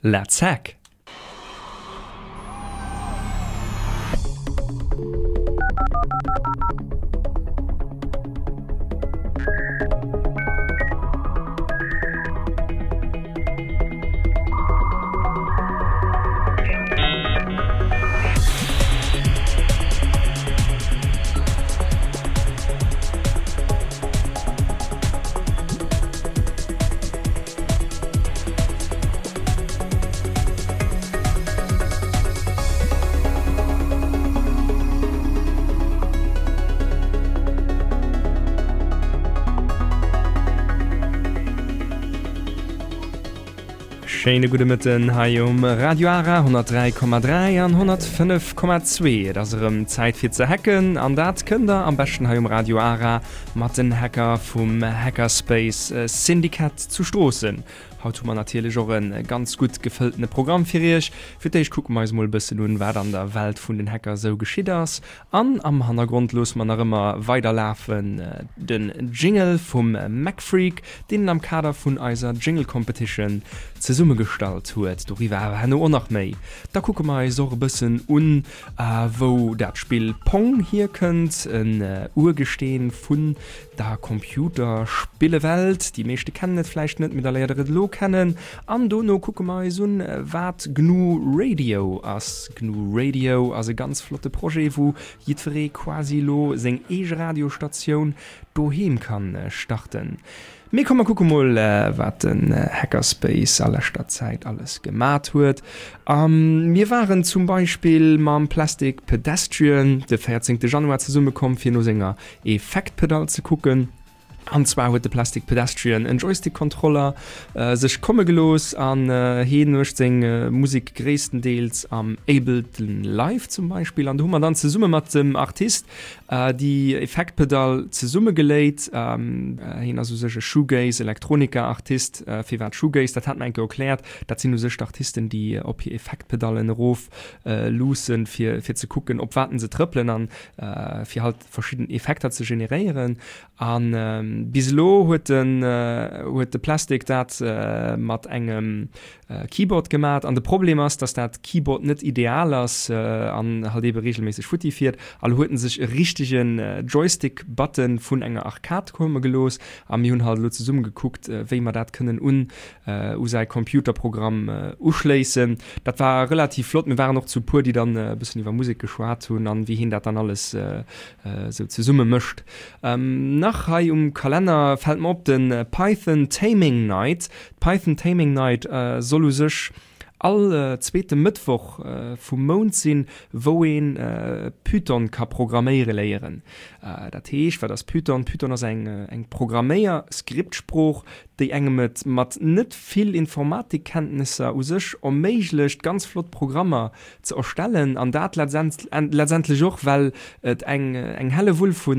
Let's hack! Schéine gudde Mëtten hei um Radio Ara 103,3 an 105,2. Et ass erëm Zäit fir ze hacken an dat kënnt der am beschten hei um Radio Ara mat den Hacker vum Hackerspace Syndicat zu Stroossen. Haut hu mer natierlech och e ganz gutt gefëlltene Programm fir iech. Fir d'éischt kucke mer eis mol e bëssen un, wat an der Welt vun den Hacker sou geschitt ass. An am Hannergrond loosse mer nach ëmmer weider lafen den Jingle vum MacFreak, deen en am Kader vun eiser Jingle Competition zesummegestallt huet. Doriwwer awer herno och nach méi. Da kucke mer eis och e bëssen un, wou dat Spill Pong hierkënnt, en Urgesteen vun Der Computerspillewelt. Déi meeschte kennen et vläicht net, mee da léiert der et elo kennen. An dono kucke mer eis un, wat GNU Radio ass. GNU Radio ass e ganz flotte Projet, wou jiddweree quasi elo seng eege Radiostatioun doheem kann starten. Mee komm mer kucke mol, wat den Hackerspace a leschter Zäit alles gemat huet. A mir waren zum Beispill mam Plastic Pedestrian de 14 Januar zesummekomm, fir no senger Effektpedall ze kucken. An zwar huet de Plastic Pedestrian en Joystick-Kontroller sech komme gelooss an heen mécht seng Musek gréisstendeels am Ableton Live zum Beispill. An do hu mer dann zesumme mat dem Artist déi Effektpedall zesummegeléit. Heen ass u sech e Shoegaze, Elektronika-Artist. Firwat Shoegaze? Dat hat mer eng Kéier erkläert. Dat sinn u sech d'Artisten, déi op hir Effektpedallen erof luussen, fir ze kucken, op wat se trëppelen an fir halt verschidden Effekter ze generéieren. A bis elo huet den huet de Plastic dat mat engem Keyboard gemat. An de Problem ass, dass dat Keyboard net ideal ass an halt eebe reegelméisseg futti fiert. A lo huet en sech e richtegen Joystick-Button vun enger Arcade komme gelooss a mir hunn halt elo zesumme gekuckt, wéi mer dat kënnen un u säi Computerprogramm uschléissen. Dat war relativ flott. Mir waren och zu puer, déi dann e bëssen iwwer Musek geschwat hunn an wéi hien dat dann alles esou zesumme mécht. Nach hei um Kalenner fält mer op de Python Taming Night. D'Python Taming Night soll u sech all zweete Mëttwoch vum Mount sinn, wou een Python ka programméiere léieren. Dat heescht, wat ass Python? Python ass eng Programméier-Skriptsprooch, déi engem et mat net vill Informatikkenntnesser u sech erméiglecht, ganz flott Programmer ze erstellen, an dat letztendlech och, well et eng eng Hellewull vu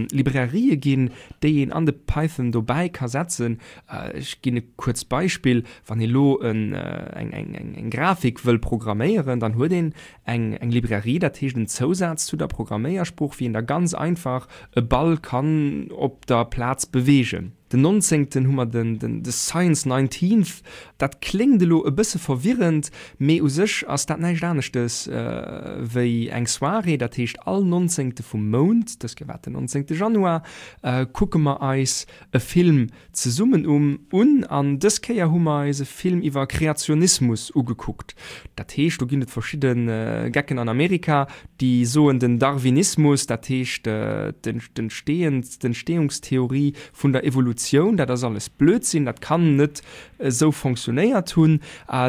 Librairie ginn, déi een an de Python dobäi ka setzen. Ech ginn e kuerzt Beispill, Wann ee lo eng eng Grafik wëll programméieren, dann huet een eng eng Librairie, dat heescht en Zousaz zu der Programméiersprooch, wéi een da ganz einfach e Ball kann op der Plaz beweegen. Den nonzéngten hu mer den den the Science Nineteenth. Dat kléngt elo e bësse verwirrend, mee u sech ass dat näischt aneschtes wéi eng Soirée. Dat heescht all nonzéngte vum Mount, dës Kéier war et den nonzéngte Januar, kucke mer eis e Film zesummen um un. An dës Kéier hu mer eis e Film iwwer Kreationismus ugekuckt. Dat heescht, do ginn et verschidde Gecken an Amerika, déi soen, den Darwinismus, dat heescht d'Entstehungstheorie vun der Evolutioun, dat ass alles Blödsinn, dat kann net esou fonctionnéiert hunn,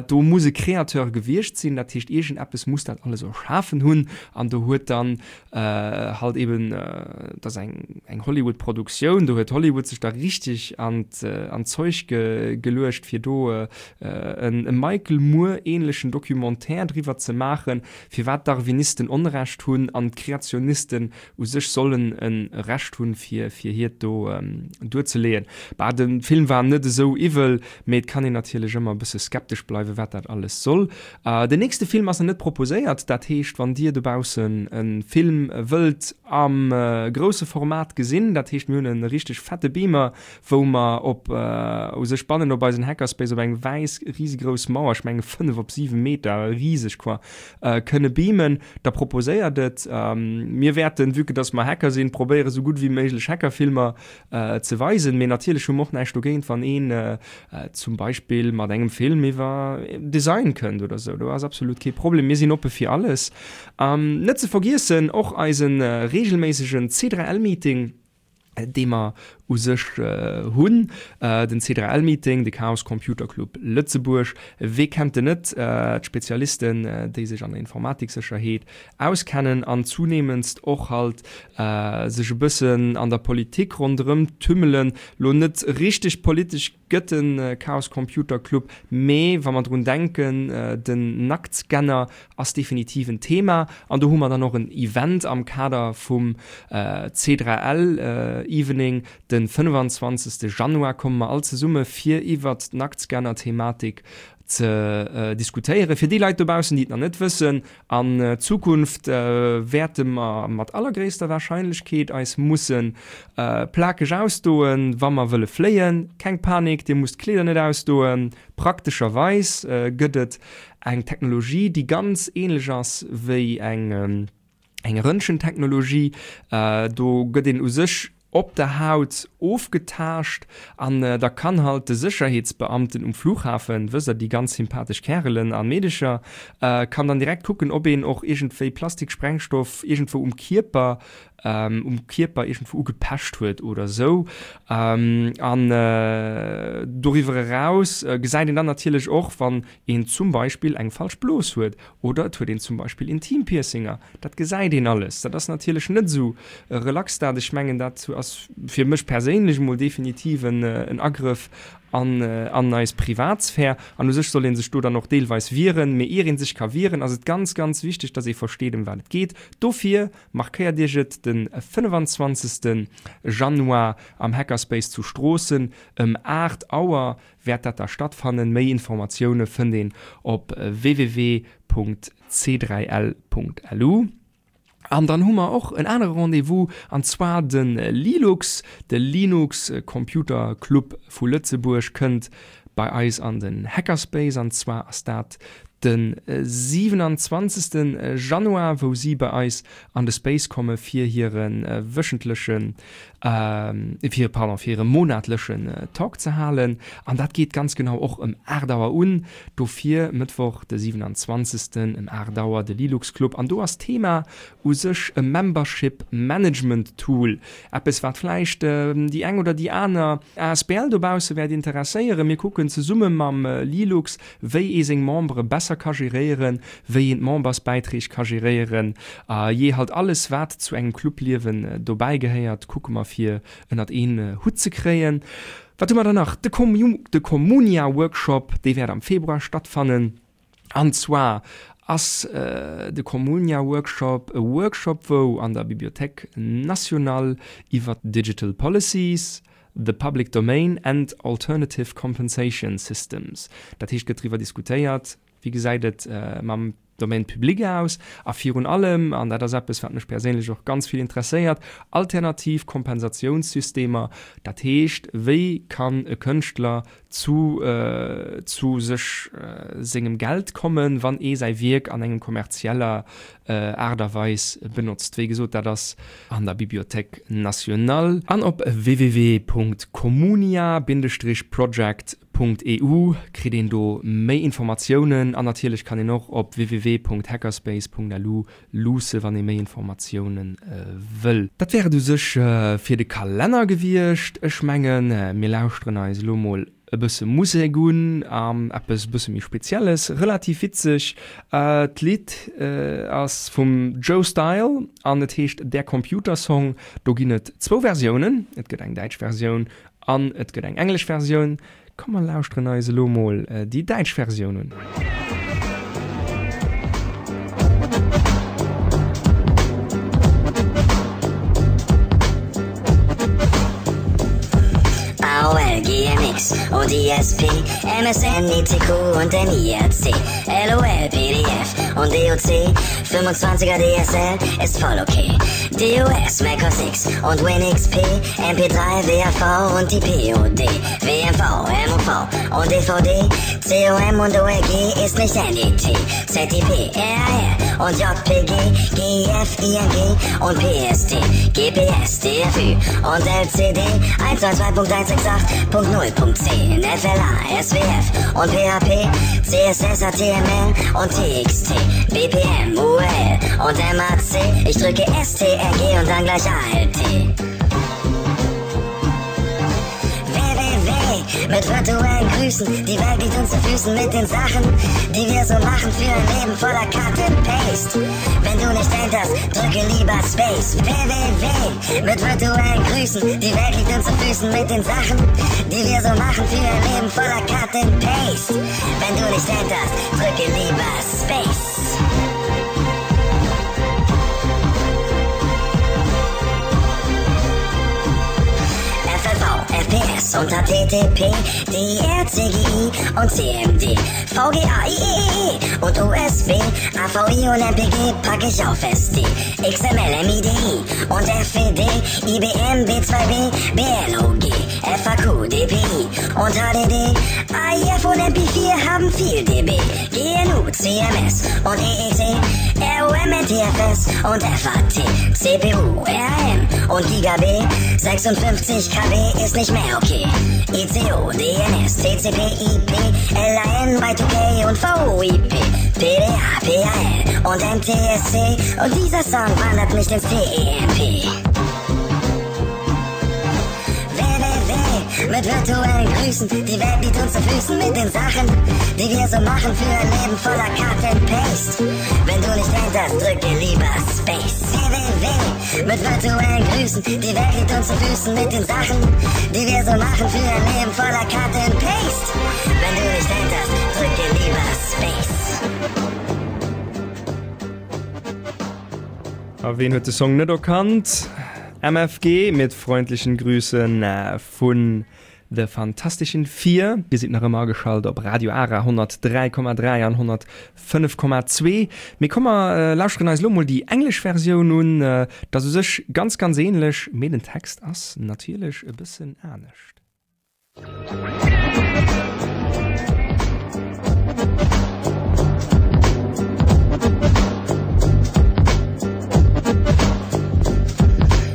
do muss e Créateur gewiescht sinn, dat heescht iergendeppes muss dat alles erschafen hunn. An do huet dann halt eben, dat ass eng eng Hollywood-Produktioun, do huet Hollywood sech da richteg an d'Zeug geluecht, fir do e Michael Moore-ähnlechen Documentaire driwwer ze maachen, firwat d'Darwinisten Onrecht hunn an d'Kreationisten u sech sollen e Recht hunn, fir fir hiert do duerzeleeën. kucken. Bah, de Film war net esou iwwel, mee et kann een natierlech ëmmer e bësse skeptesch bleiwen, wat dat alles soll. Den nächste Film ass nach net proposéiert, dat heescht, wann dir dobaussen e Film wëllt am grousse Format gesinn, dat heescht mir hunn e richteg fette Beamer, wou mer op u sech bannen op eisen Hackerspace op eng wäiss risegrouss Mauer, ech menge 5 op 7 Meter, riseg quoi, kënne beamen, da proposéiert et. Mir wäerten, vue que dass mer Hacker sinn, probéiere sou gutt wéi méiglech Hackerfilmer ze weisen. Mee natierlech hu mer och näischt dogéint, wann een zum Beispill mat engem Film iwwer Design kënnt oder sou. Do ass absolut kee Problem. Mir sinn oppe fir alles. Net ze vergiessen och eise reegelméissegen C3L-Meeting. dee mer u sech hunn, den C3L-Meeting, de Chaos Computer Club Lëtzebuerg, wee kennt en net, d'Spezialisten, déi sech an der Informatiksécherheet auskennen an zunehmendst och halt sech e bëssen an der Politik ronderëm tümmelen, lo net richteg politesch gëtt de Chaos Computer Club, mee wa mer drun denken, den Nacktscanner ass definitiv en Thema an do hu mer dann och en Event am Kader vum C3L Evening de 25. Januar komme mer all zesumme fir iwwert d'Nacktscanner-Thematik ze diskutéieren. Fir déi Leit dobaussen, déi et nach net wëssen, An Zukunft wäerte mer mat allergréisster Warscheinlechkeet eis musse plakeg ausdoen, wa mer wëlle fléien. Keng Panik, dir musst d'Kleeder net ausdoen. Praktescherweis gëtt et eng Technologie, déi ganz änlech ass wéi eng Röntgentechnologie. Do gëtt een u sech op der Haut ofgetaascht an da kann halt de Sécherheetsbeamten um Flughafen, wësst der, déi ganz sympathesch Kärelen a Meedecher, kann dann direkt kucken, ob een och iergendwéi Plastiksprengstoff iergendwou um Kierper, um Kierper iergendwou ugepecht huet oder esou. An doriwwer eraus gesäit een dann natierlech och, wann een zum Beispill eng falsch Blos huet oder et huet een zum Beispill Intimpiercinger. Dat gesäit een alles. Dat ass natierlech net esou relax dat. Ech mengen, dat ass fir mech perséinlech emol definitiv en Agrëff an eis Privatsphär. An u sech soll ee sech do dann och deelweis wieren. Mee ier ee sech ka wieren, ass et ganz, ganz wichteg, dass ee versteet, ëm wat et geet. Dofir markéiert Iech et, de 25. Januar am Hackerspace zu Stroossen ëm 8 Auer wäert dat da stattfannen. Méi Informatioune fënnt een op www.c3l.lu. An dann hu mer och en anere Rendez-vous, an zwar de Lilux, de Linux Computer Club vu Lëtzebuerg kënnt bei eis an den Hackerspace, an zwar ass dat de 27. Januar, wou si bei eis an de Space komme fir hire wöchentlechen fir, pardon, fir hire monatlechen Talk ze halen. An dat geet ganz genau och ëm 8 Auer un. Dofir Mëttwoch de 27. ëm 8 Auer de Lilux Club. An do ass d'Thema u sech e Membership Management Tool. Eppes wat vläicht déi eng oder déi aner asbl dobausse wäert interesséieren. Mir kucken zesumme mam Lilux, wéi ee seng Membere besser ka geréieren, wéi een d'Membersbäiträg ka geréieren, a jee halt alles wat zu engem Clubliewen dobäi gehéiert, kucke mer fir ënnert een Hutt ze kréien. Wat hu mer dann nach? De de Communia Workshop, dee wäert am Februar stattfannen. An zwar ass de Communia Workshop e Workshop wou an der Bibliothèque nationale iwwert Digital Policies, The Public Domain and Alternative Compensation Systems. Dat heescht, gëtt driwwer diskutéiert, wéi gesäit et mam Domaine public aus a virun allem, an dat ass eppes, wat mech perséinlech och ganz vill interesséiert, alternativ Kompensatiounssystemer. Dat heescht, wéi kann e Kënschtler zu zu sech sengem Geld kommen, wann ee säi Wierk an engem kommerzieller Aart a Weis benotzt. Wéi gesot, dat ass an der Bibliothèque nationale an op www.communia-project.eu kritt een do méi Informatiounen an natierlech kann een och op www.hackerspace.lu luusse wann ee méi Informatioune wëll. Dat wär et u sech fir de Kalenner gewiescht. Ech mengen, mir lauschteren eis elo mol e bësse Musek un, eppes e bësse méi Spezielles, relativ witzeg. D'Lidd ass vum Joe Style an et heescht Der Computersong. Do ginn et zwou Versiounen, et gëtt eng däitsch Versioun an et gëtt eng englesch Versioun. Komm mer lauschteren eis elo mol déi däitsch Versioun un. MX und ISP, MSN, ICQ und MIRC, LOL, PDF und DOC, 25er DSL ist voll okay. DOS, Mac OS X und WinXP, MP3, WAV und die POD, WMV, MOV und DVD, COM und ORG ist nicht NET, ZIP, RAR und JPG, GIF, ING und PSD, GPS, DFÜ und LCD, 192.168.0.10, FLA, SWF und PHP, CSS, HTML und TXT, BPM, URL und MAC. Ich drücke STRG und dann gleich ALT. WWW mit virtuellen Grüßen, die Welt liegt uns zu Füßen mit den Sachen, die wir so machen für ein Leben voller Cut and Paste. Wenn du nicht enterst, drücke lieber Space. WWW mit virtuellen Grüßen, die Welt liegt uns zu Füßen mit den Sachen, die wir so machen für ein Leben voller Cut and Paste. Wenn du nicht enterst, drücke lieber Space. FLV, FPS und HTTP, DIR, CGI und CMD, VGA, IEEE und USB, AVI und MPG pack ich auf SD, XML, MIDI und FWD, IBM, B2B, BLOG, FAQ, DPI und HDD, AIF und MP4 haben viel DB, GNU, CMS und EEC, ROM, NTFS und FAT, CPU, RM und Giga B, 56 KB ist nicht mehr okay. ICO, DNS, TCP, IP, LAN, Y2K und VoIP, PDA, PAL und NTSC und dieser Song wandert nicht ins TEMP. WWW mit virtuellen Grüßen, die Welt liegt uns zu Füßen mit den Sachen, die wir so machen für ein Leben voller Cut and Paste. Wenn du nicht enterst, drücke lieber Space. WWW mit virtuellen Grüßen, die Welt liegt uns zu Füßen mit den Sachen, die wir so machen für ein Leben voller Cut and Paste. Wenn du nicht enterst, drücke lieber Space. A ween huet de Song net erkannt? MFG mit freundlichen Grüßen vun The Fantastischen Vier. Dir sidd nach ëmmer ageschalt op Radio Ara 103,3 an 105,2. Mee komm mer lauschteren eis elo mol déi englesch Versioun un. Dat ass u sech ganz ganz ähnlech, mee den Text ass natierlech e bëssen anescht.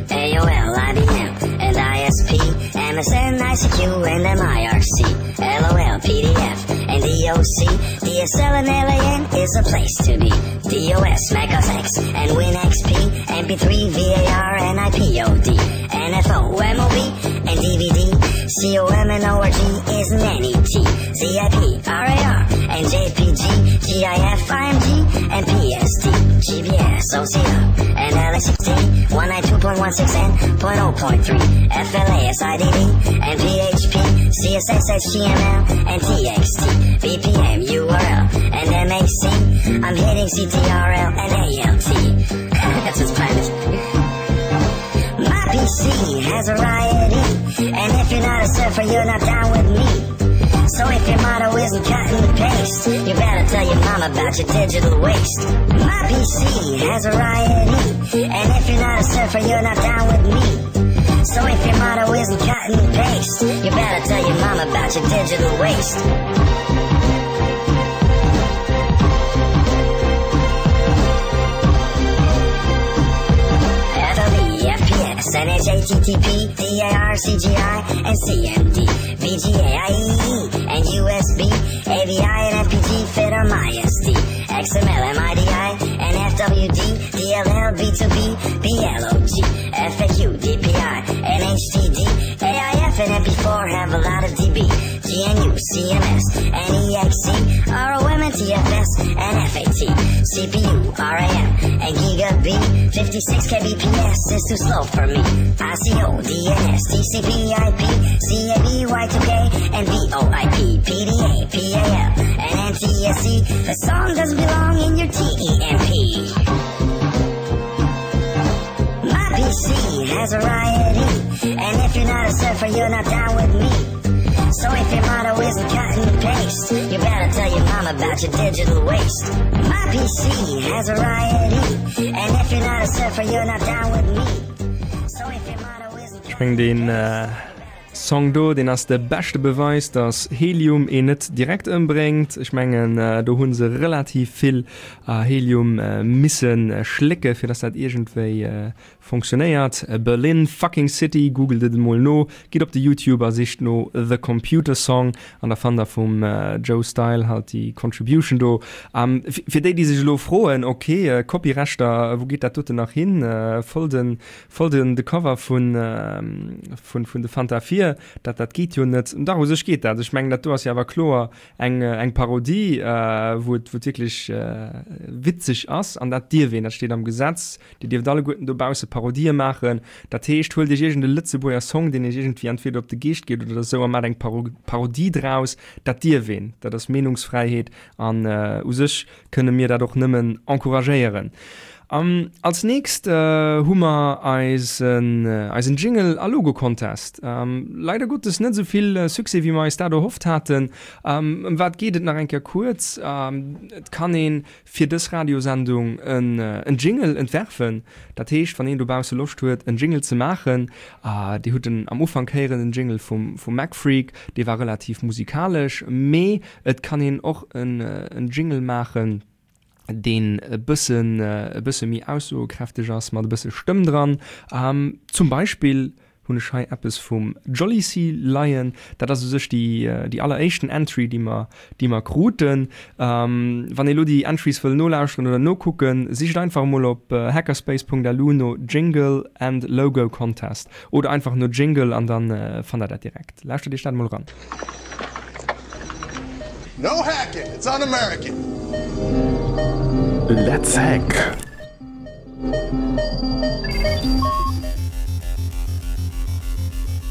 AOL, IBM and ISP, MSN, ICQ and MIRC, LOL, PDF and DOC, DSL and LAN is a place to be. DOS, Mac OS X and WinXP, MP3, VAR and IPOD, NFO, MOV and DVD, COM and ORG is an NET, ZIP, RAR and JPG, GIF, IMG and PSD, GBS, OCR and LST, 192.16n.0.3, FLA, SIDD and PHP, CSS, HTML and TXT, BPM, URL and MAC. I'm hitting CTRL and ALT. That's what's peinlich. My PC has a variety, and if you're not a surfer, you're not down with me. So if your motto isn't cut and paste, you better tell your mom about your digital waste. My PC has a variety, and if you're not a surfer, you're not down with me. So if your motto isn't cut and paste, you better tell your mom about your digital waste. FLV, FPS, NHATTP, DAR, CGI, and CMD, VGA, IEE, and USB, AVI, and FPG fit on my SD, XML, MIDI, and FWD, DLL, B2B, BLOG, FAQ, DPI, and HDD, AIF, and MP4 have a lot of DB, GNU, CMS, and EXE, ROM, and TFS, and FAT, CPU, RAM, and Giga B, 56 kbps is too slow for me. ICO, DNS, TCP, IP, CAB, Y2K, and VoIP, PDA, PAL, and NTSC. The song doesn't belong in your TEMP. My PC has a variety, and if you're not a surfer, you're not down with me. So if your motto isn't cut and paste, you better tell your mom about your digital waste. My PC has a riot E, and if you're not a surfer, you're not down with me. So if your motto isn't Ech meng deen Song do, deen ass de beschte Beweis, dass Helium een net direkt ëmbréngt. Ech mengen do hu se relativ vill Helium misse schlécke fir dass dat iergendwéi Fonctionnéiert. Berlin fucking City, googelt et emol no, gitt op de Youtube a sicht no The Computer Song an da fannt der vum Joe Style halt déi Contribution do. Fir déi déi sech elo froen, ok Copyrechter, wou geet dat doten nach hin, voll den voll den de Cover vun vun vun de Fanta 4, dat dat geet jo net. Dach u sech geet dat, ech mengen dat do ass jo awer kloer eng eng Parodie wou et wou et wierklech witzeg ass an dat dierf een, dat steet am Gesetz. Dir dierft alleguerten dobausse Parodië maachen. Dat heescht, huelt iech iergend e Lëtzebuerger Song, deen iech iergendwéi entweder op de Geescht geet oder esou, a maacht eng Parodie draus. Dat dierf een. Dat ass Meenungsfräiheet an u sech kënne mir dat och nëmmen encouragéieren. Als nächst hu mer eisen eisen Jingle a Logo Contest. Leider Gottes net esou vill Succès wéi mer eis dat erhofft haten. Ëm wat geet et nach eng Kéier kuerz? Et kann een fir dës Radiosendung en Jingle entwerfen. Dat heescht, wann een dobausse Loscht huet, en Jingle ze maachen, Dir hutt en am Ufank héieren, den Jingle vum MacFreak, dee war relativ musikalesch, mee et kann een och en Jingle maachen, deen e bëssen, e bësse méi aussoekräfteg ass, mat e bësse Stëmm dran. Zum Beispill hunn ech hei eppes vum Jolly Sea Lion. Dat ass u sech déi, déi alleréischten Entry, déi mer, déi mer kruten. Wann ee lo déi Entries wëll nolauschteren oder nokucken, sicht einfach emol op hackerspace.lu no Jingle and Logo Contest oder einfach no Jingle an dann fannt der dat direkt. Lauschtert iech dat emol eran. No hacking, it's un-American! Let's hack!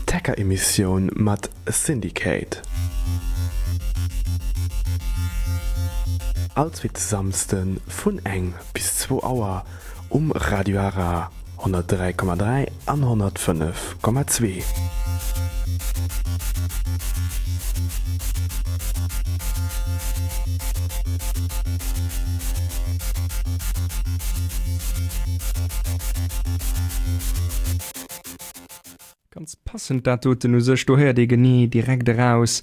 D'Hacker-Emissioun mat Syndicate. All zweete Samsde vun eng bis zwou Auer um Radio Ara 103,3 an 105,2. Ganz passend dat doten u sech, do héiert ee genee direkt eraus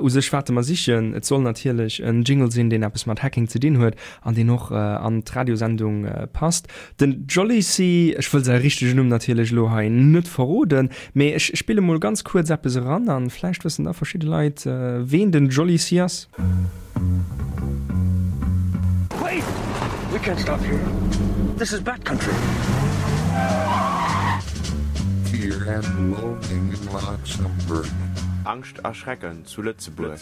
u sech wat mer sichen. Et soll natierlech en Jingle sinn, deen eppes mat Hacking ze dinn huet an deen och an d'Radiosendung passt. Den Jolly C, ech wëll säi richtegen Numm natierlech elo hei net verroden, mee ech spille mol ganz kuerz eppes eran an vläicht wëssen da verschidde Leit ween den Jolly C ass. Wait! We can't stop here. This is bat country. Fear and Loathing in Luxembourg. Angscht a Schrecken zu Lëtzebuerg.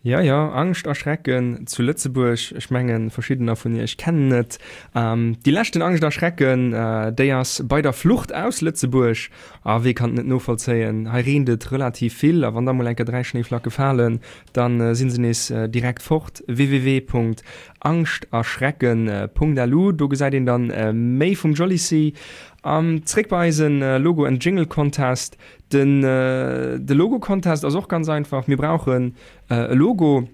Jo, jo, Angscht a Schrecken zu Lëtzebuerg. Ech mengen, verschiddener vun iech kennen et. Déi leschten Angscht a Schrecken, déi ass bei der Flucht aus Lëtzebuerg. A wee kann et net novollzéien? Hei reent et relativ vill, a wann da mol eng Kéier 3 Schnéiflacke falen, da si se nees direkt fort. www.angschtaschrecken.lu, do gesäit een dann méi vum Jolly Sea. An zréck bei eisen Logo and Jingle Contest. Den de Logo Contest ass och ganz einfach, mir brauchen e Logo.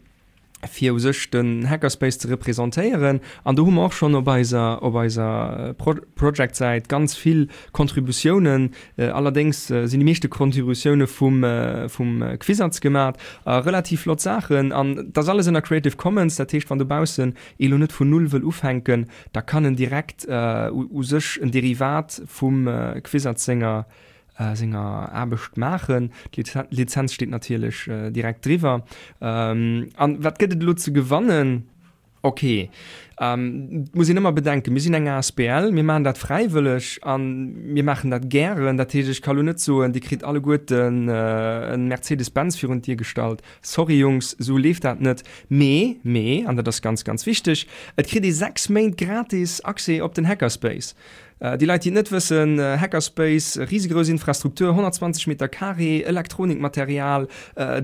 fir u sech den Hackerspace ze representéieren. An do hu mer och schonn op eiser, op eiser Project-Säit ganz vill Contributiounen. Allerdéngs sinn déi meeschte Contributioune vum, vum Quizatz gemat. A relativ flott Saachen. An dat ass alles ënner Creative Commons. Dat heescht, wann dobaussen ee lo net vun Null wëll ufänken, da kann en direkt u sech en Derivat vum Quizatz senger, senger Aarbecht maachen. D'Lizenz steet natierlech direkt driwwer. An wat gëtt et elo ze gewannen? Ok, et muss een ëmmer bedenken, mir sinn eng asbl, mir maachen dat fräiwëlleg a mir maachen dat gären. Dat heescht, ech ka lo net soen, Dir kritt alleguerten e Mercedes-Benz virun d'Dier gestallt. Sorry Jungs, esou leeft dat net. Mee, mee, an dat ass ganz, ganz wichteg, et kritt ee 6 Méint gratis Accès op den Hackerspace. Déi Leit, déi et net wëssen, Hackerspace, risegrouss Infrastruktur, 120 Meter Carré, Elektronikmaterial,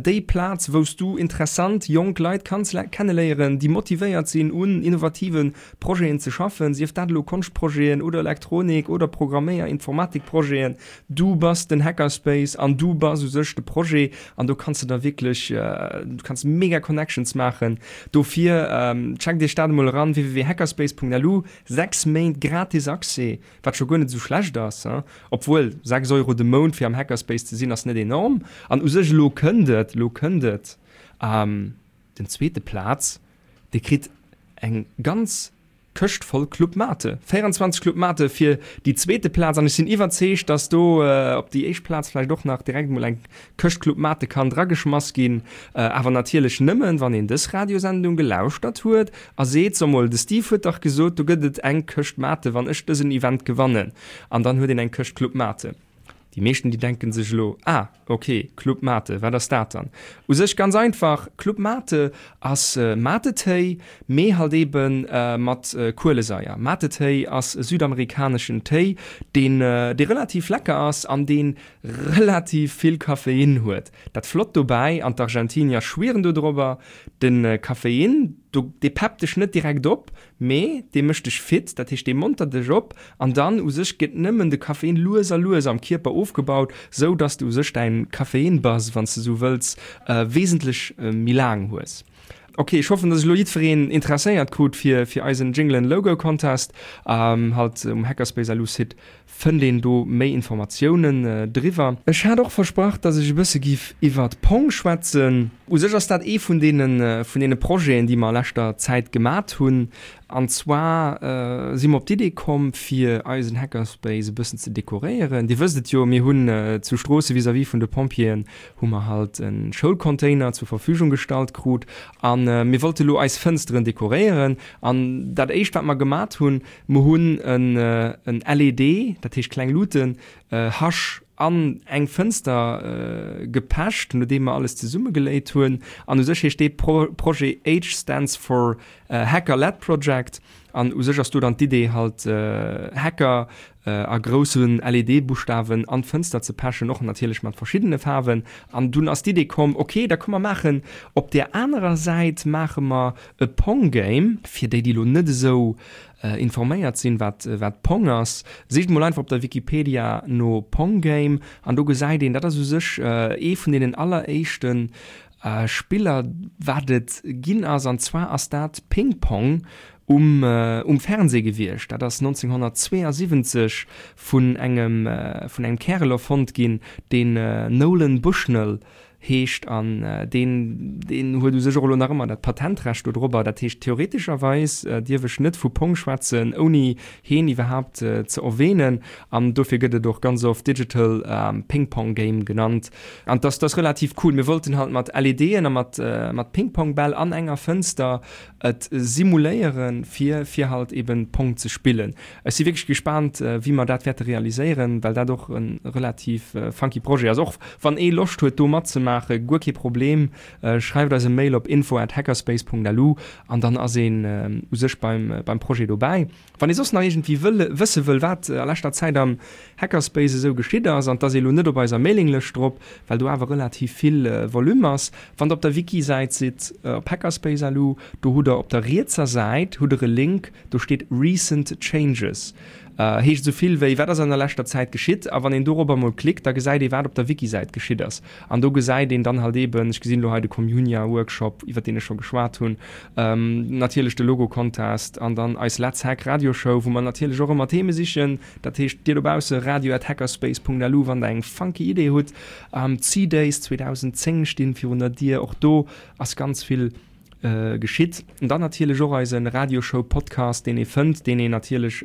déi Plaz, wou s du interessant jonk Leit kanns kenneléieren, déi motivéiert sinn, un innovative Projeten ze schaffen, sief dat elo Konschtprojeten oder Elektronik oder Programméier-, Informatikprojeten. Du bass den Hackerspace an du bass u sech de Projet an do kanns de da wierklech, du kanns mega Connections maachen. Dofir checkt iech dat emol eran, www.hackerspace.lu. 6 Méint gratis Accès, wat scho guer net esou schlecht ass, hein? Obwuel, 6 Euro de Mount fir am Hackerspace ze sinn ass net enorm. An u sech elo kënnt et, elo kënnt et, den zweete Plaz, dee kritt eng ganz Këscht voll Club Mate, 24 Club Mate fir déi zweete Plaz. An ech sinn iwwerzeegt, dass do op déi éischt Plaz vläicht och nach direkt emol eng Këscht Club Mate kann drageschmass ginn, awer natierlech nëmmen, wann een dës Radiosendung gelauschtert huet a seet, So mol, de Steve huet dach gesot, do gëtt et eng Këscht Mate, wann ech dësen Event gewannen. An dann huet een eng Këscht Club Mate. Déi meeschten, déi denken sech elo, Ah, ok, Club Mate, wat ass dat dann? U sech ganz einfach, Club Mate ass Mate-Téi, mee halt ebe mat Kuelesaier. Mate-Téi ass e südamerikaneschen Téi, deen, dee relativ lecker ass an deen relativ vill Kaffein huet. Dat flott dobäi, an d'Argentinier schwieren do drobber, de Kaffein, do, dee peppt dech net direkt op, mee dee mécht dech fit, dat heescht dee montert dech op an dann u sech gëtt nëmmen de Kaffein lues a lues am Kierper ofgebaut, sou dass de u sech däin Kaffein-Buzz, wann s de sou wëlls, wesentlech méi laang hues. Ok, ech hoffen dass ech elo jiddwereen interesséiert krut fir fir eisen Jingle and Logo Contest. Halt um Hackerspace LU Site Fënnt een do méi Informatiounen driwwer? Ech hat och versprach, dass ech e bësse giff iwwert Pong schwätzen. U sech ass dat ee vun deene vun deene Projeten, déi mer a leschter Zäit gemat hunn. An zwar si mer op d'Idee komm, fir eisen Hackerspace e bëssen ze dekoréieren. Dir wësst et jo, mir hunn zu Stroosse vis-à-vis vun de Pompjeeën hu mer halt e Schoulcontainer zur Verfügung gestallt krut. A mir wollte lo eis Fënsteren dekoréieren. An dat éischt, wat mer gemat hunn, Mer hunn en LED, dat heescht kleng Luuten, Hasch an eng Fënster gepecht, nodeem mer alles zesummegeléit hunn. An u sech heescht dee Projet H stands for Hacker Led Project. An u sech ass do dann d'Idee halt Hacker a grousse LED-Buschtawen an d'Fënster ze pechen, och natierlech mat verschiddene Faarwen. An dunn ass d'Idee komm, ok, da komm mer maachen op där anerer Säit maache mer E Pong Game, fir déi déi lo net esou informéiert sinn wat wat Pong ass, sicht mol einfach op der Wikipedia no Pong Game an do gesäit een, dat ass u sech ee vun deenen alleréischte Spiller wat et ginn ass an zwar ass dat Ping Pong um um Fernseh gewiescht. Dat ass 1972 vun engem vun engem Kärel erfonnt ginn, deen Nolan Bushnell heescht an deen deen huet u sech och elo nach ëmmer dat Patentrecht do drobber. Dat heescht theoretescherweis dierf ech net vu Pong schwätzen ouni heen iwwerhaapt ze erwähnen an dofir gëtt et och ganz oft Digital Ping Pong Game genannt an dass dass relativ cool. Mir wollten halt mat LEDen a mat mat Ping Pong Bäll an enger Fënster et simuléieren fir fir halt eben Pong ze spillen. Ech si wierklech gespaant wéi mer dat wäerte realiséieren, well dat och e relativ funky Projet ass. Och wann ee Loscht huet do matzemaache, guer kee Problem, schreift eis e Mail op info at hackerspace.lu an dann ass een u sech beim beim Projet dobäi. Wann ee soss nach iergendwéi wëll wësse wëll wat a leschter Zäit am Hackerspace esou geschitt ass, an 't ass ee lo net op eiser Mailinglëscht drop, well do awer relativ vill Volume ass, wann der op der Wiki-Säit sidd op hackerspace.lu, do hutt der op der rietser Säit hutt der e Link, do steet Recent Changes. Heescht esou vill wéi, wat ass an der leschter Zäit geschitt? A wann een dorobber mol klickt, da gesäit ee wat op der Wiki-Säit geschitt ass. An do gesäit een dann halt eben, ech gesinn elo hei de Communia-Workshop, iwwer deen ech scho geschwat hunn, natierlech de Logo-Contest an dann eis Let's Hack Radioshow, wou mer natierlech och ëmmer Theme sichen. Dat heescht, dir dobausse, radio at hackerspace.lu, wann der eng funky Idee hutt. D'C-Days 2010 stinn virun der Dier, och do ass ganz vill geschitt. An dann natierlech och eise Radioshow-Podcast, deen ee fënnt, deen een natierlech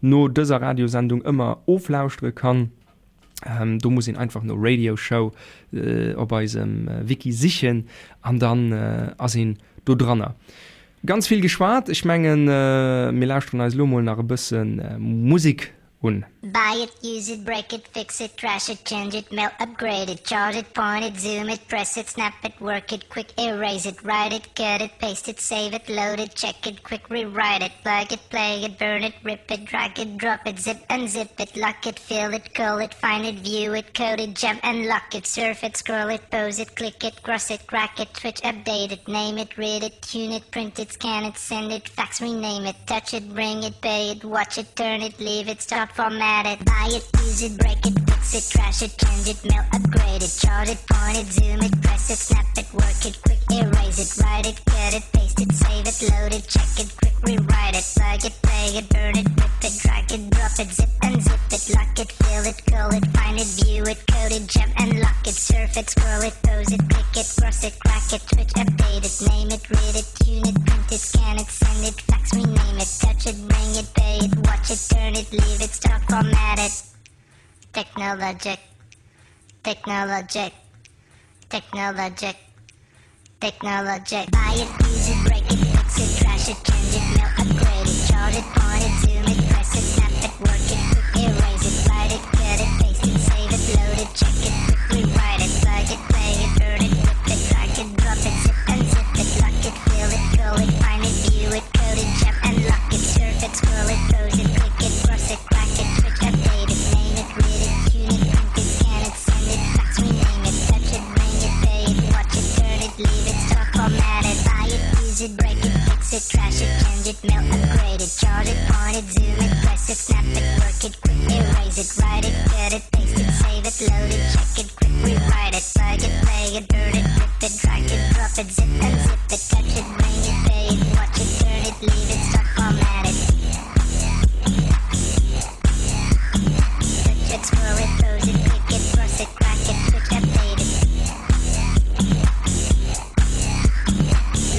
no dëser Radiosendung ëmmer oflauschtere kann. Do muss een einfach no Radio Show op eisem Wiki sichen an dann ass een do dranner. Ganz vill geschwat, ech mengen mir lauschteren eis elo mol nach e bësse Musek. un. Buy it, use it, break it, fix it, trash it, change it, mail, upgrade it, chart it, point it, zoom it, press it, snap it, work it, quick erase it, write it, cut it, paste it, save it, load it, check it, quick rewrite it, plug it, play it, burn it, rip it, drag it, drop it, zip unzip it, lock it, fill it, call it, find it, view it, code it, jump and lock it, surf it, scroll it, pose it, click it, cross it, crack it, switch, update it, name it, read it, tune it, print it, scan it, send it, fax, rename it, touch it, bring it, pay it, watch it, turn it, leave it, start, format it, buy it, use it, break it, fix it, trash it, change it, mail, upgrade it, chart it, point it, zoom it, press it, snap it, work it, quick erase it, write it, cut it, paste it, save it, load it, check it, quick rewrite it, plug it, play it, burn it, rip it, drag it, drop it, zip unzip it, lock it, fill it, call it, find it, view it, code it, jump and lock it, surf it, scroll it, pose it, click it, cross it, crack it, switch, update it, name it, read it, tune it, print it, scan it, send it, fax, rename it, touch it, bring it, pay it, watch it, turn it, leave it, stop, format it. Technologic, technologic, technologic, technologic. Buy it, use it, break it, fix it, trash it, change it, mail, upgrade it, chart it, point it, zoom it, press it, snap it, work it, quick erase it, write it, cut it, paste it, save it, load it, check it, quick rewrite it, plug it, play it, burn it, rip it, drag it, drop it, zip unzip it, lock it, fill it, call it, find it, view it, code it, jump and lock it, surf it, scroll it, pose it, click it, cross it, crack it, switch, update it, name it, read it, tune it, print it, scan it, send it, fax, rename it, touch it, bring it, pay it, watch it, turn it, leave it, stop, format it, buy it, use it, break it, fix it, trash it, change it, mail, upgrade it, chart it, point it, zoom it, press it, snap it, work it, quick erase it, write it, cut it, paste it, save it, load it, check it, quick rewrite it, plug it, play it, burn it, rip it, drag it, drop it, zip unzip it, touch it, bring it, pay it, watch it, turn it, leave it, stop, format it. Switch it, scroll it, pose it, click it, cross it, crack it, switch, update it.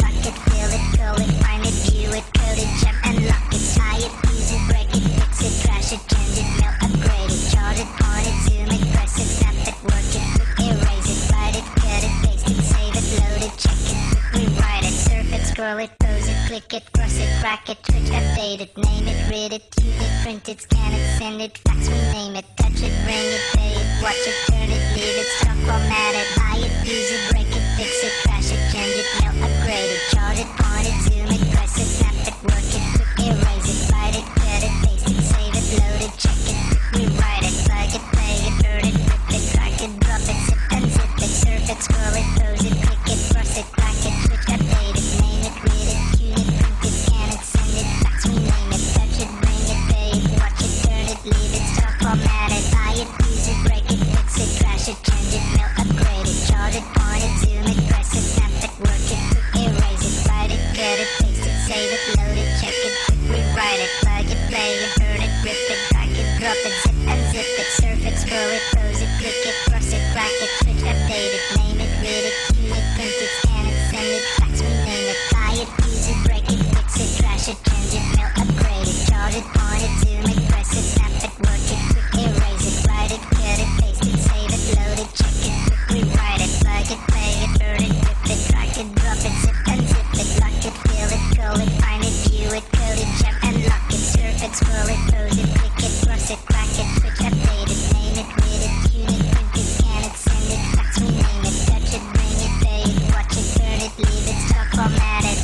Lock it, fill it, call it, find it, view it, code it, jump and lock it, tie it, use it, break it, fix it, trash it, change it, mail, upgrade it, chart it, point it, zoom it, press it, snap it, work it, quick erase it, write it, cut it, paste it, save it, load it, check it, quick rewrite it, surf it, scroll it, pose it, click it, cross it, crack it, switch, update it, name it, read it, tune it, print it, scan it, send it, fax, rename it, touch it, bring it, pay it, watch it, turn it, leave it, stop, format it, buy it, use it, break it, fix it, trash it, change it, mail, upgrade it, chart it, point it, zoom it, press it, snap it, work it, quick erase it, write it, cut it, paste it, save it, load it, check it, quick rewrite it, plug it, play it, burn it, rip it, drag it, drop it, zip unzip it, surf it, scroll it, pose it, click it, cross it, crack it, switch, update it, name it, read it, tune it, print it, scan it, send it, fax, rename it, touch it, bring it, pay it, watch it, turn it, leave it, stop, format it, buy it, use it, break it, fix it, trash it, change it, mail, upgrade it, chart it, point it, zoom it, press it, snap it, work it, quick erase it, write it, cut it, paste it, save it, load it, check it, quick rewrite it, plug it, play it, burn it, rip it, drag it, drop it, zip unzip it, surf it, scroll it, pose it, click it, cross it, crack it, switch, update it, name it, read it, tune it, print it, scan it, send it, fax, rename it, buy it, use it, break it, fix it, trash it, change it, mail, upgrade it, chart it, point it, zoom it, press it, snap it, work it, quick erase it, write it, cut it, paste it, save it, load it, check it, quick rewrite it, plug it, play it, burn it, rip it, drag it, drop it, zip unzip it, lock it, fill it, call it, find it, view it, code it, jump and lock it, surf it, scroll it, pose it, click it, cross it, crack it, switch, update it, name it, read it, tune it, print it, scan it, send it, fax, rename it, touch it, bring it, pay it, watch it, turn it, leave it, stop, format it.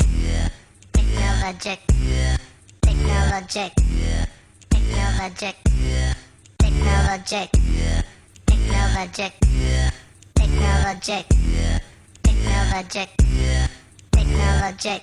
Technologic, technologic, technologic, technologic, technologic, technologic, technologic, technologic.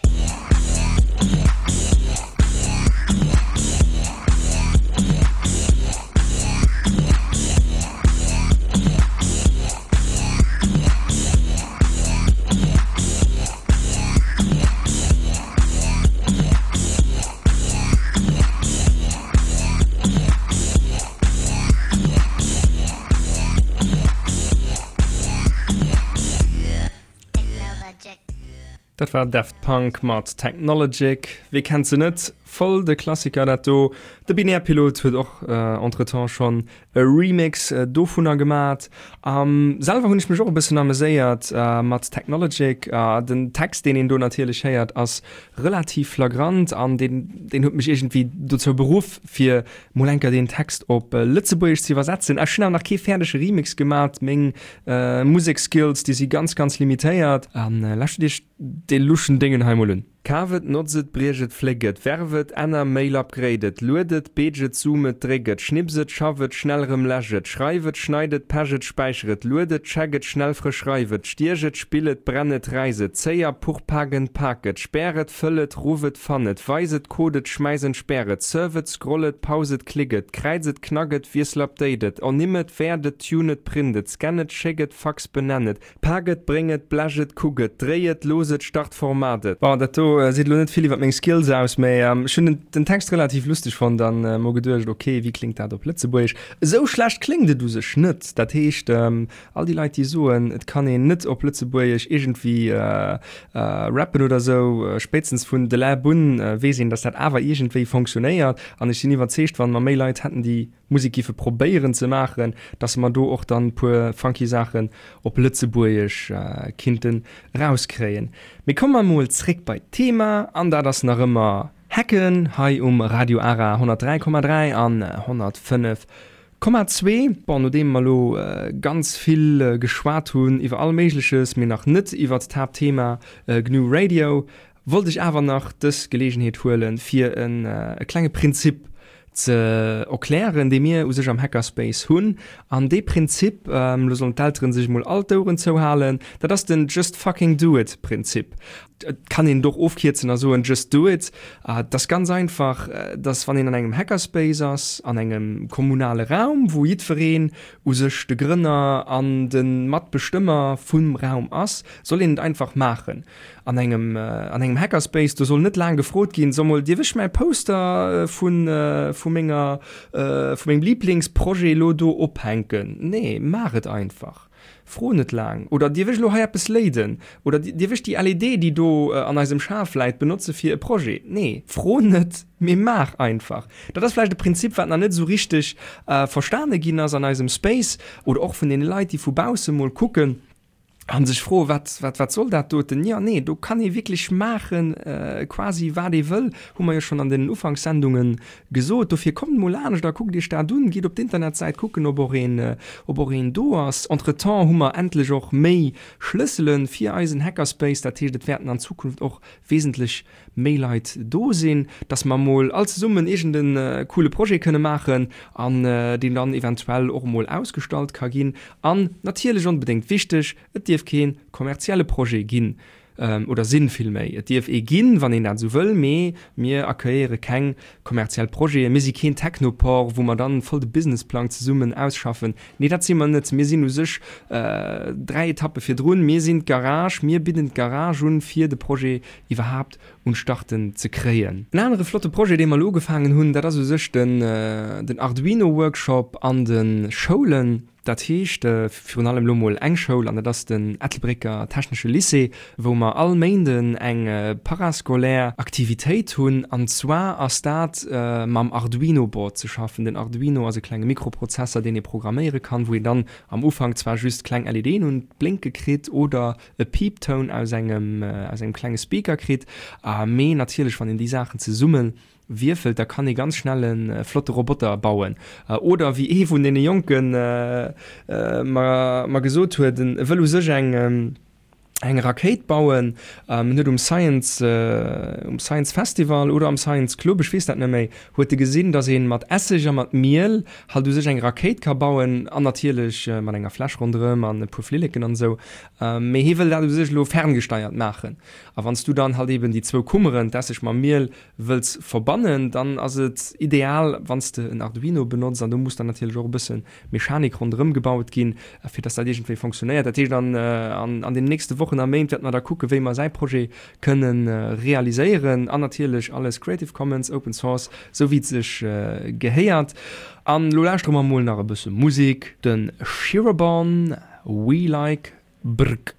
Dat war Daft Punk mat Technologic. Wie kennt se net? Voll de Klassiker dat do. De Binärpilot huet och entretemps schonn e Remix dovunner gemat. Selwer hunn ech mech och e bëssen ameséiert mat Technologic. Den Text deen een do natierlech héiert ass relativ flagrant an deen deen huet mech iergendwéi dozou beruff fir mol enker deen Text op Lëtzebuergesch ze iwwersetzen. Ech hunn awer nach kee fäerdege Remix gemat, meng Musekskills déi si ganz ganz limitéiert. An lauschtert iech dee luschen Déngen hei mol un. Kaf et, notz et, briech et, fléck et, werf et, änner, mail, upgrade et, lued et, beetsch et, zoom et, dréck et, schnips et, schaff et, schnell erëm läsch et, schreif et, schneid et, pech et, späicher et, lued et, check et, schnell frësch reif et, stiech et, spill et, brenn et, räiss et, zéi a puch, pak en, pak et, spär et, fëll et, ruff et, fann et, weis et, code et, schmäiss entsperr et, surf et, scroll et, pause et, klick et, kräiz et, knack et, wiessel, update et, ernimm et, wäert et, tune et, print et, scan et, schéck et, fax, benenn et, Pak et, bréng et, blech et, kuck et, dréi et, looss et, start, format et. Bon, dat do seet elo net vill iwwer meng Skills aus, mä ech hunn den Text relativ lusteg fonnt an mer geduecht, ok, wéi kléngt dat op Lëtzebuergesch? Esou schlecht kléngt et u sech net. Dat heescht, all déi Leit, déi soen, et kann een net op Lëtzebuergesch iergendwéi rappen oder esou, spéitstens vun De Läb un weess een, datt dat awer iergendwéi fonctionnéiert. An ech sinn iwwerzeegt, wann mer méi Leit hätten, déi Musek giffe probéieren ze maachen, dass mer do och dann puer funky Saachen op Lëtzebuergesch kinnten rauskréien. Mee komme mer mol zréck bei d'Thema, an dat ass nach ëmmer Hacken hei um Radio Ara 103,3 an 105,2. Bon, nodeem mer lo ganz vill geschwat hunn iwwer all Méigleches, mee nach net iwwert d'Haaptthema GNU Radio, wollt ech awer nach dës Geleegenheet huelen, fir e klenge Prinzip ze erklären, dee mir u sech am Hackerspace hunn. An dee Prinzip, lo sollen d'Elteren sech emol all d'Oueren zouhalen, dat ass den Just fucking do it Prinzip. Et kann een et och ofkierzen a soen Just do it. Et ass ganz einfach, dass wann een an engem Hackerspace ass, an engem kommunale Raum, wou jiddwereen u sech de Grënner an de Matbestëmmer vum Raum ass, soll een et einfach maachen. An engem, an engem Hackerspace, do soll net laang gefrot ginn, So mol, dierf ech mäi Poster vu, vu menger, vu mengem Liblingsprojet elo do ophänken? Nee, maach et einfach. Fro net laang. Oder dierf ech elo hei eppes léiden? Oder dierf ech déi LED, déi do an eisem Schaf läit, benotze fir e Projet? Nee, fro net, mee maach einfach. Dat ass vläicht e Prinzip, wat nach net esou richteg verstane ginn ass an eisem Space oder och vun deene Leit, déi vu bausse mol kucken. An sech froen, wat, wat, wat soll dat doten? Jo, nee, do kann ee wierklech maachen, quasi wat ee wëll, hu mer jo schonn an den Ufanks-Sendunge gesot. Dofir kommt emol laanscht a kuckt iech dat un, gitt op d'Internetsäit kucken, ob och een, ob och een do ass. Entretemps hu mer endlech och méi Schlëssele fir eisen Hackerspace, dat heescht, et wäerten an Zukunft och wesentlech méi Leit do sinn, dass mer mol all zesummen iergend e coole Projet kënne maachen an deen dann eventuell och mol ausgestallt ka ginn. An natierlech onbedéngt wichteg, et dierf kee kommerzielle Projet ginn, oder sinn villméi. Et dierf ee ginn, wann een dat esou wëll, mee mir accueilléiere keng kommerziell Projeten. Mir si keen Technopore, wou mer dann voll de Businessplang zesummen ausschaffen. Nee, dat si mer net. Mir sinn u sech 3 Etappe virdrun. Mir sinn d'Garage. Mir bidden d'Garage un, fir de Projet iwwerhaapt un d'Starten ze kréien. En anere flotte Projet, dee mer elo ugefaangen hunn, dat ass u sech den Arduino-Workshop an de Schoulen. Dat heescht virun allem elo mol eng Schoul, an dat ass den Ettelbrécker Technesche Lycée, wou mer all Méinden eng parascolaire Aktivitéit hunn. An zwar ass dat mam Arduino-Board ze schaffen. Den Arduino ass e klenge Mikroprozesser, deen ee programméiere kann, wou een dann am Ufank zwar just kleng LEDen un d'Blénke kritt oder e Piiptoun aus engem aus engem klenge Speaker kritt, mee natierlech wann een déi Saachen zesumme wierfelt, da kann ee ganz schnell e flotte Roboter bauen. Oder wéi ee vun deene Jonken mer mer gesot huet, en wëll u sech eng eng Rakéit bauen, en huet um Science um Science Festival oder am Science Club, ech weess dat net méi, huet e gesinn, datt ee mat Esseg a mat Miel halt u sech eng Rakéit ka bauen an natierlech mat enger Fläsch ronderëm an e puer Flilleken an esou. Mee hie wëll dat u sech elo ferngesteiert maachen. A wann s du dann halt eben déi zwou Kummeren, d'Esseg mam Miel, wëlls verbannen, dann ass et ideal, wann s de en Arduino benotz. An do muss dann natierlech och e bësse Mechanik ronderëm gebaut ginn, fir dass dat iergendwéi fonctionnéiert. Dat heescht, an an den nächste Wochen a Méint wäerte mer da kucken, wéi mer säi Projet kënne realiséieren. An natierlech alles Creative Commons, Open Source, sou wéi et sech gehéiert. An elo lauschtere mer mol nach e bësse Musek, de Shirobon. We like Brk.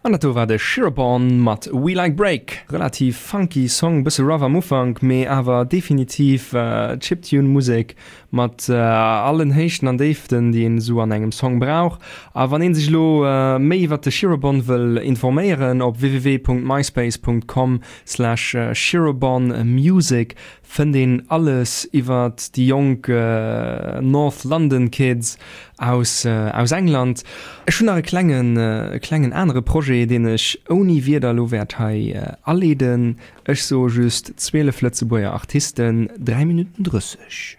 An dat do war de Shirobon mat We Like Break. Relativ funky Song, bësse rough am Ufank, mee awer definitiv Chiptune Musek mat allen Héichten an Déiften, déi een esou an engem Song brauch. A wann een sech elo méi iwwert de Shirobon wëll informéieren, op www.myspace.com slash shirobonmusic Fënnt een alles iwwert déi jonk North London Kids aus aus England. Ech hunn nach e klengen e klengen anere Projet, deen ech ouni Wierder elo wäert hei aleeden. Ech soe just 12 Lëtzebuerger Artisten, 3 Minutten 30.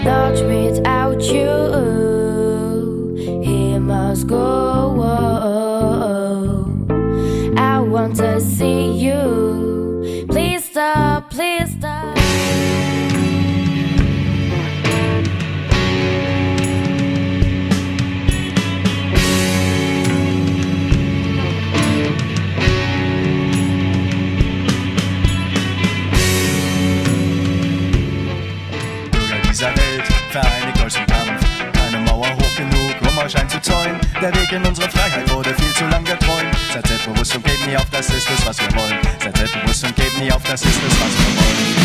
Not without you he must go I want to see you please stop please stop Bürger dieser Welt vereinigt euch zum Kampf keine Mauer hoch genug um euch einzuzäunen der Weg in unsere Freiheit wurde viel zu lang geträumt seid selbstbewusst und gebt nie auf das ist es was wir wollen seid selbstbewusst und gebt nie auf das ist es was wir wollen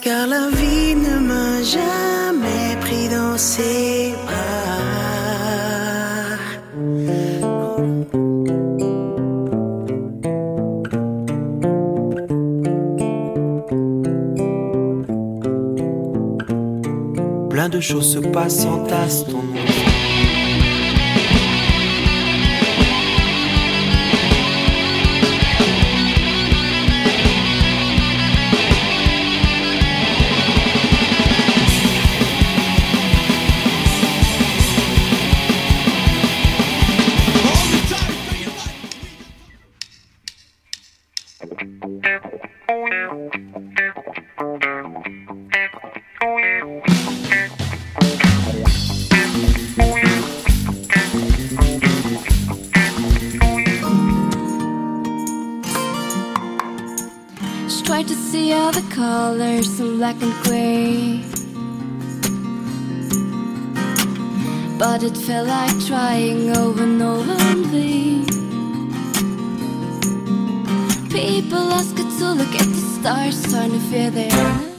Car la vie ne m'a jamais pris dans ses bras. Plein de choses se passent en tasse ton nom. Try to see all the colors in black and gray But it felt like trying over and over in vain People ask her to look at the stars trying to fear their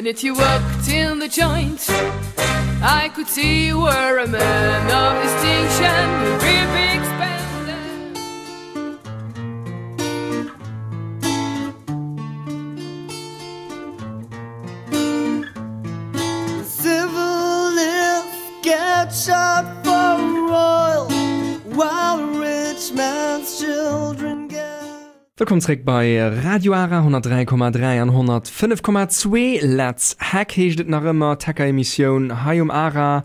minute you walked in the joint I could see you were a man of distinction a real big spender Civil get shot for royal while rich man's children get Wëllkomm zréck bei Radio Ara 103,3 an 105,2. Let's Hack heescht et nach ëmmer, d'Hacker-Emissioun hei um Ara.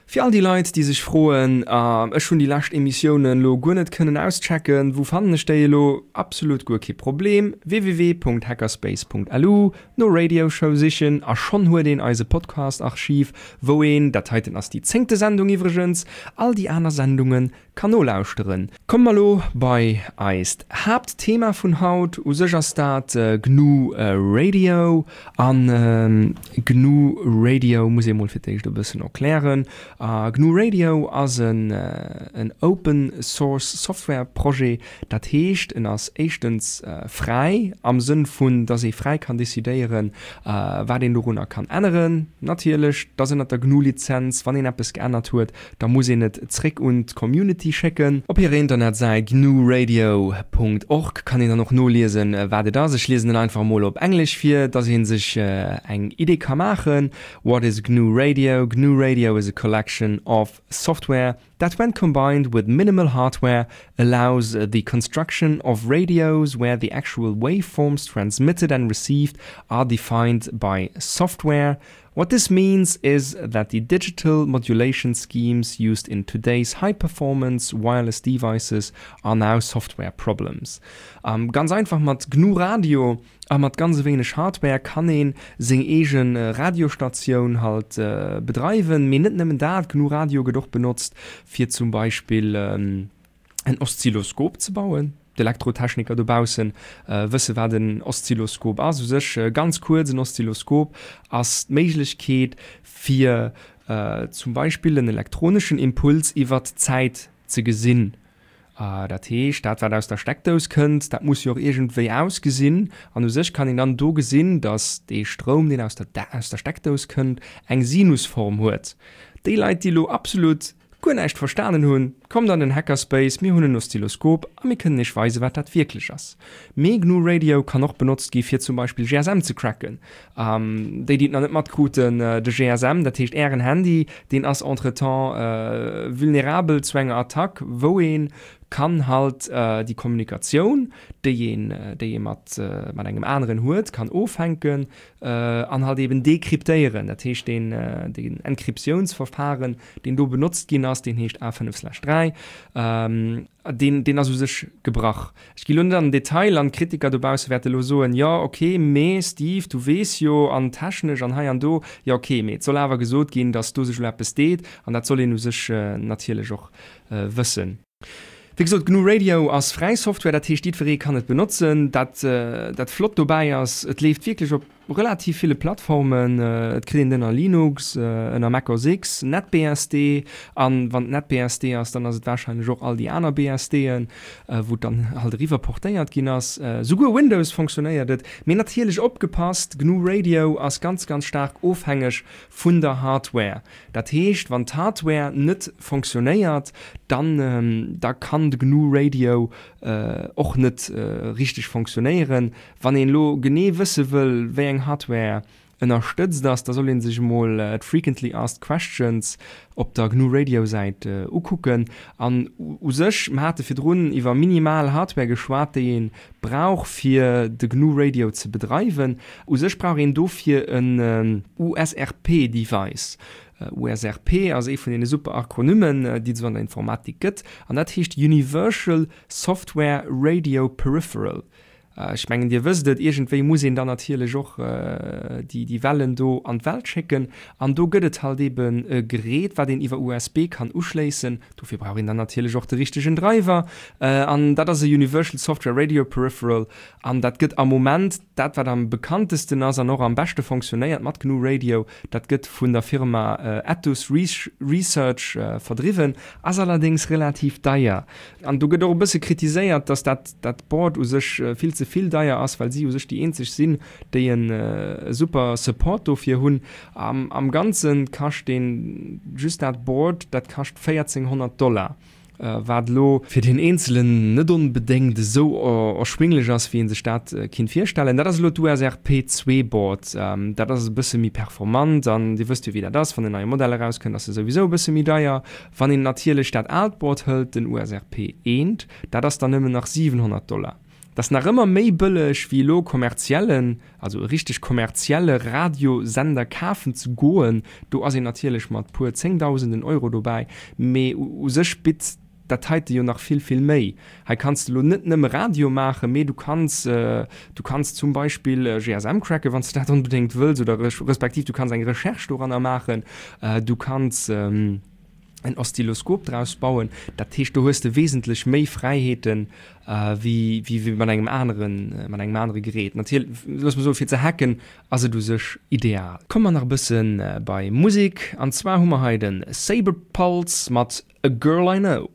Fir all déi Leit, déi sech froen, ech hunn déi lescht Emissiounen elo guer net kënnen auschecken, wou fannen ech déi elo? Absolut guer kee Problem, www.hackerspace.lu, no Radio Show sichen a schonn huet een eise Podcast-Archiv, wou een, dat heiten ass déi zéngte Sendung iwwregens, all déi aner Sendunge kann nolauschteren. Komme mer elo bei eist Haaptthema vun haut. U sech ass dat GNU Radio. An GNU Radio muss ee mol fir d'éischt e bëssen erklären. GNU Radio ass en Open Source Software Projet, dat heescht en ass éischtens fräi am Sënn vun, dass ee fräi kann decidéieren, wat een dorunner kann änneren. Natierlech, et ass ënnert der GNU Lizenz, wann een eppes geännert huet, da muss een et zréck un d'Community schécken. Op hirer Internetsäit gnuradio Punkt org kann een dann och noliesen, wat et ass. Ech liesen en einfach emol op Englesch vir, dass ee sech eng Idee ka maachen. What is GNU Radio? GNU Radio is a collection of software that when combined with minimal hardware allows the construction of radios where the actual waveforms transmitted and received are defined by software. What this means is that the digital modulation schemes used in today's high-performance wireless devices are now software problems. Ganz einfach mat GNU Radio A mat ganz e wéineg Hardware kann ee seng eege Radiostatioun halt bedreiwen. Mee net nëmmen dat, GNU Radio gëtt och benotzt fir zum Beispill en Oszilloskop ze bauen. D'Elektrotechniker dobausse wësse wat en Oszilloskop ass. U sech ganz kuerz, en Oszilloskop ass d'Méiglechkeet fir zum Beispill en elektroneschen Impuls iwwert d'Zäit ze gesinn. Dat heescht, dat wat aus der Steckdous kënnt, dat muss jo och iergendwéi ausgesinn. An u sech kann een dann do gesinn, datt dee Stroum, deen aus der aus der Steckdous kënnt, eng Sinusform huet. Déi Leit, déi elo absolut guer näischt verstanen hunn, kommt an den Hackerspace, mir hunn en Oszilloskop a mir kënnen iech weisen, wat dat wierklech ass. Mee GNU Radio kann och benotzt gi fir zum Beispill GSM ze cracken. Déi, déi et nach net matkruten, de GSM, dat heescht Ären Handy, deen ass entretemps vulnerabel zu enger Attack, wou ee kann halt déi Kommunikatioun, déi een, déi ee mat, mat engem aneren huet, kann ofhänken an halt eben dekryptéieren. Dat heescht, deen, deen Encryptiounsverfahren, deen do benotzt ginn ass, deen heescht A5/3. Deen, deen ass u sech gebrach. Ech gi lo net an den Detail an d'Kritiker dobausse wäerte lo soen, jo ok, mee Steve, du weess jo, an technesch an hei an do. Jo ok, mee et soll awer gesot ginn, datt do sech elo eppes deet an dat soll een u sech natierlech och wëssen. Wéi gesot, GNU Radio ass fräi Software, dat heescht jiddweree kann et benotzen. Dat, dat flott dobäi ass, et leeft wierklech op relativ ville Plattformen, et kritt een et ënner Linux, ënner Mac OS X, NetBSD, an wann et NetBSD ass, dann ass et warscheinlech och all déi aner BSDen, wou et dann halt eriwwer portéiert ginn ass. Souguer Windows fonctionnéiert et. Mee natierlech opgepasst, GNU Radio ass ganz ganz staark ofhängeg vun der Hardware. Dat heescht, wann d'Hardware net fonctionnéiert, dann da kann de GNU Radio och net richteg fonctionnéieren. Wann een elo genee wësse wëll, wéi eng Hardware ënnerstëtzt ass, da soll een sech emol d'Frequently Asked Questions op der GNU Radio Säit ukucken. An u sech, mer hate virdrun iwwer minimal Hardware geschwat, déi ee brauch fir de GNU Radio ze bedreiwen. U sech brauch een dofir en USRP Device. USRP ass ee vun deene super Akronymmen, déi et esou an der Informatik gëtt, an dat heescht Universal Software Radio Peripheral. Ech mengen, Dir wësst et, iergendwéi muss een dann natierlech och déi Wellen do an d'Welt schécken. An do gëtt et halt eben e Gerät, wat een iwwer USB kann uschléissen. Dofir brauch een dann natierlech och de richtegen Driver. An dat ass e Universal Software Radio Peripheral. An dat gëtt am Moment, dat wat am bekanntesten ass an och am beschte fonctionnéiert mat GNU Radio, dat gëtt vun der Firma Ettus Research verdriwwen, ass allerdéngs relativ deier. An do gëtt och e bësse kritiséiert, dass dat dat Board u sech vill ze vill deier ass, well si u sech déi eenzeg sinn, déi e super Support dofir hunn. Am Ganze kascht deen, just dat Board, dat kascht 1400 Dollar, wat elo fir deen Eenzelen net onbedéngt esou erschwinglech ass, wéi ee sech dat kinnt virstellen. Dat ass elo d'USRP 2 Board, dat ass e bësse méi performant an Dir wësst jo, wéi dat ass, wann en neie Modell erauskënnt, ass e souwisou e bësse méi deier. Wann een natierlech dat aalt Board hëlt, den USRP 1, Dat ass dann nëmmen nach 700 Dollar. Dat ass nach ëmmer méi bëlleg wéi elo kommerziellen, also e richteg kommerzielle Radiosender kafen ze goen. Do ass een natierlech mat puer zéngdausenden Euro dobäi, mee u sech bitt dat heite jo nach vill, vill méi. Hei kanns de elo net nëmme Radio maachen, mee du kanns, du kanns zum Beispill GSM cracken, wann s de dat onbedéngt wëlls, oder respektiv du kanns eng Recherche doranner maachen, du kanns. En Oszilloskop draus bauen. Dat heescht, do hues de wesentlech méi Fräiheeten wéi wéi mat engem aneren, mat engem anere Gerät. Natierlech, looss mer soen, fir ze hacken ass et u sech ideal. Komme mer nach e bësse bei Musek, an zwar hu mer hei de Saber Pulse mat A Girl I Know.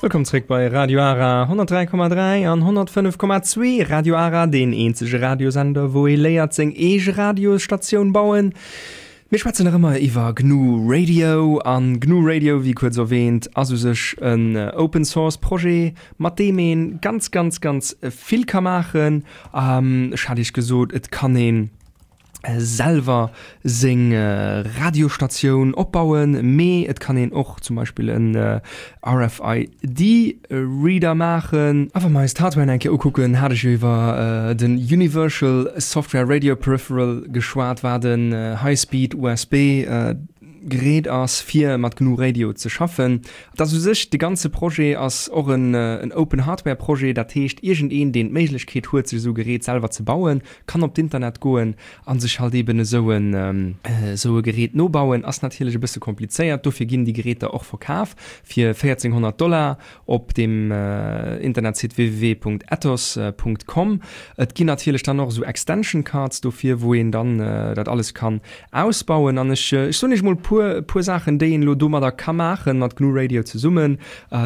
Wëllkomm zréck bei Radio Ara 103,3 an 105,2. Radio Ara, deen eenzege Radiosender, wou ee léiert seng eege Radiosstatioun bauen. Mir schwätzen nach ëmmer iwwer GNU Radio an GNU Radio, wéi kuerz erwähnt, ass u sech en Open Source Projet, mat deem een ganz, ganz, ganz vill ka maachen. Ech hat iech gesot, et kann een selwer seng Radiostatioun opbauen, mee et kann een och zum Beispill en RFID Reader maachen. A wa mer eis d'Hardware eng Kéier ukucken, hat ech jo iwwer den Universal Software Radio Peripheral geschwat, wat en High-Speed USB. Gerät ass fir mat GNU Radio ze schaffen. Et ass u sech, de ganze Projet ass och en en Open Hardware Projet, dat heescht iergendeen deen d'Méiglechkeet huet sech esou e Gerät selwer ze bauen, kann op d'Internet goen a sech halt eben esou en esou e Gerät nobauen. Ass natierlech e bësse komplizéiert, dofir ginn déi Geräter och verkaf fir 1400 Dollar op dem Internetsite www.ethos.com. Et ginn natierlech dann och esou Extension Cards dofir, wou een dann dat alles kann ausbauen. An ech ech soen iech mol puer puer Saachen, déi een elo domadder ka maachen, mat GNU Radio zesummen.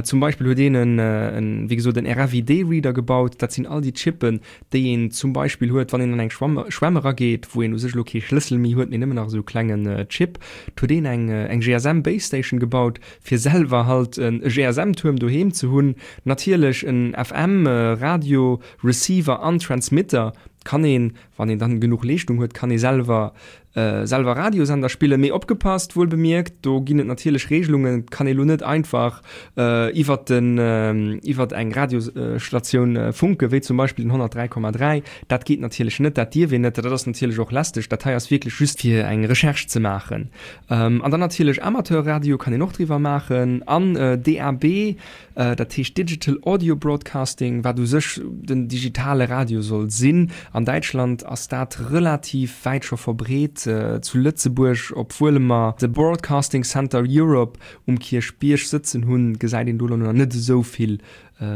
Zum Beispill huet een en en wéi gesot en RFID-Reader gebaut. Dat sinn all déi Chippen, déi een zum Beispill huet, wann een an eng Schwamm Schwämm erageet, wou een u sech elo kee Schlëssel méi huet, mee nëmmen nach esou e klengen Chip. Et huet een eng eng GSM Base Station gebaut, fir selwer halt e GSM-Tuerm doheem ze hunn. Natierlech en FM Radio Receiver an Transmitter kann een, wann een dann genuch Leeschtung huet, kann ee selwer selwer Radiosender spillen. Mee opgepasst, wuel bemierkt, do ginn et natierlech Regelungen, et kann ee lo net einfach iwwert den iwwert eng Radiosstatioun funken, wéi zum Beispill den 103,3. Dat geet natierlech net, dat dierf een net, dat ass natierlech och lästeg. Dat hei ass wierklech just fir eng Recherche ze maachen. An dann natierlech Amateurradio kann een och driwwer maachen an DAB, dat heescht Digital Audio Broadcasting, wat u sech den digitale Radio soll sinn. An Däitschland ass dat relativ wäit scho verbreet. Zu Lëtzebuerg, obwuel mer de Broadcasting Center Europe um Kierchbierg sëtzen hunn, gesäit een do elo nach net esou vill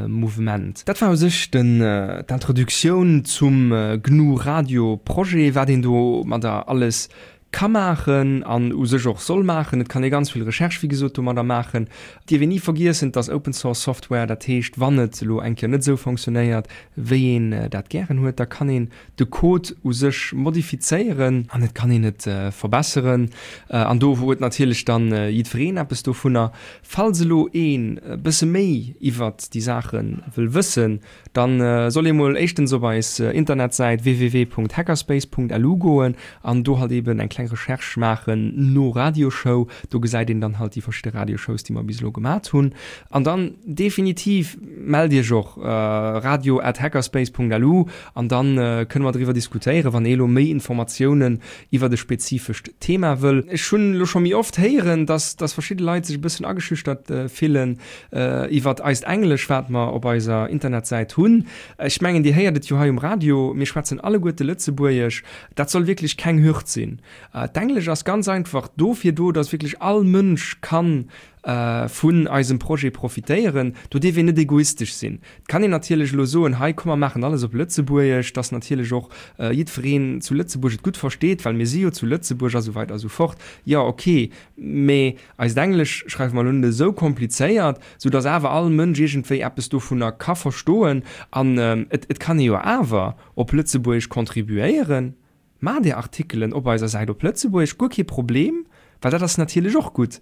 Mouvement. Dat war u sech den d'Introductioun zum GNU Radio Projet, wat een domadder alles ka maachen an u sech och soll maachen. Et kann ee ganz vill Recherche, wéi gesot, domadder maachen. Et dierf een ni vergiessen, et ass Open Source Software, dat heescht, wann et elo eng Kéier net esou fonctionnéiert, wéi een dat gären huet, da kann een de Code u sech modifizéieren an et kann een et verbesseren. An do huet natierlech dann jiddwereen eppes dovunner. Falls elo een e bësse méi iwwert déi Saache wëll wëssen, Dann soll ee mol éischtens op eis Internetsäit www.hackerspace.lu goen an do halt eben eng kleng Recherche maachen no Radioshow. Do gesäit een dann halt déi verschidde Radioshows, déi mer bis elo gemat hunn. An dann definitiv mellt iech och, radio at hackerspace.lu, an dann kënne mer driwwer diskutéieren, wann ee elo méi Informatiounen iwwert e spezifescht Thema wëll. Ech hunn elo scho méi oft héieren, dass dass verschidde Leit sech e bëssen ageschüchtert fillen iwwert eist Englesch, wat mer op eiser Internetsäit hunn. Ech mengen, Dir héiert et jo hei um Radio, mir schwätzen alleguerte Lëtzebuergesch. Dat soll wierklech keng Hürd sinn. D'Englesch ass ganz einfach dofir do, dass wierklech all Mënsch kann vun eisem Projet profitéieren. Do dierf een net egoistesch sinn. Et kann een natierlech elo soen, hei komm mer maachen alles op Lëtzebuergesch, dass natierlech och jiddwereen zu Lëtzebuerg et gutt versteet, well mir si jo zu Lëtzebuerg a sou weider a sou fort. Jo, ok, mee eist Englesch schreiwe mer elo net esou komplizéiert, sou dass awer all Mënsch iergendwéi eppes dovunner ka verstoen. An et kann ee jo awer op Lëtzebuergesch contribuéieren. Maacht Är Artikelen op eiser Säit op Lëtzebuergesch, guer kee Problem, well dat ass natierlech och gutt.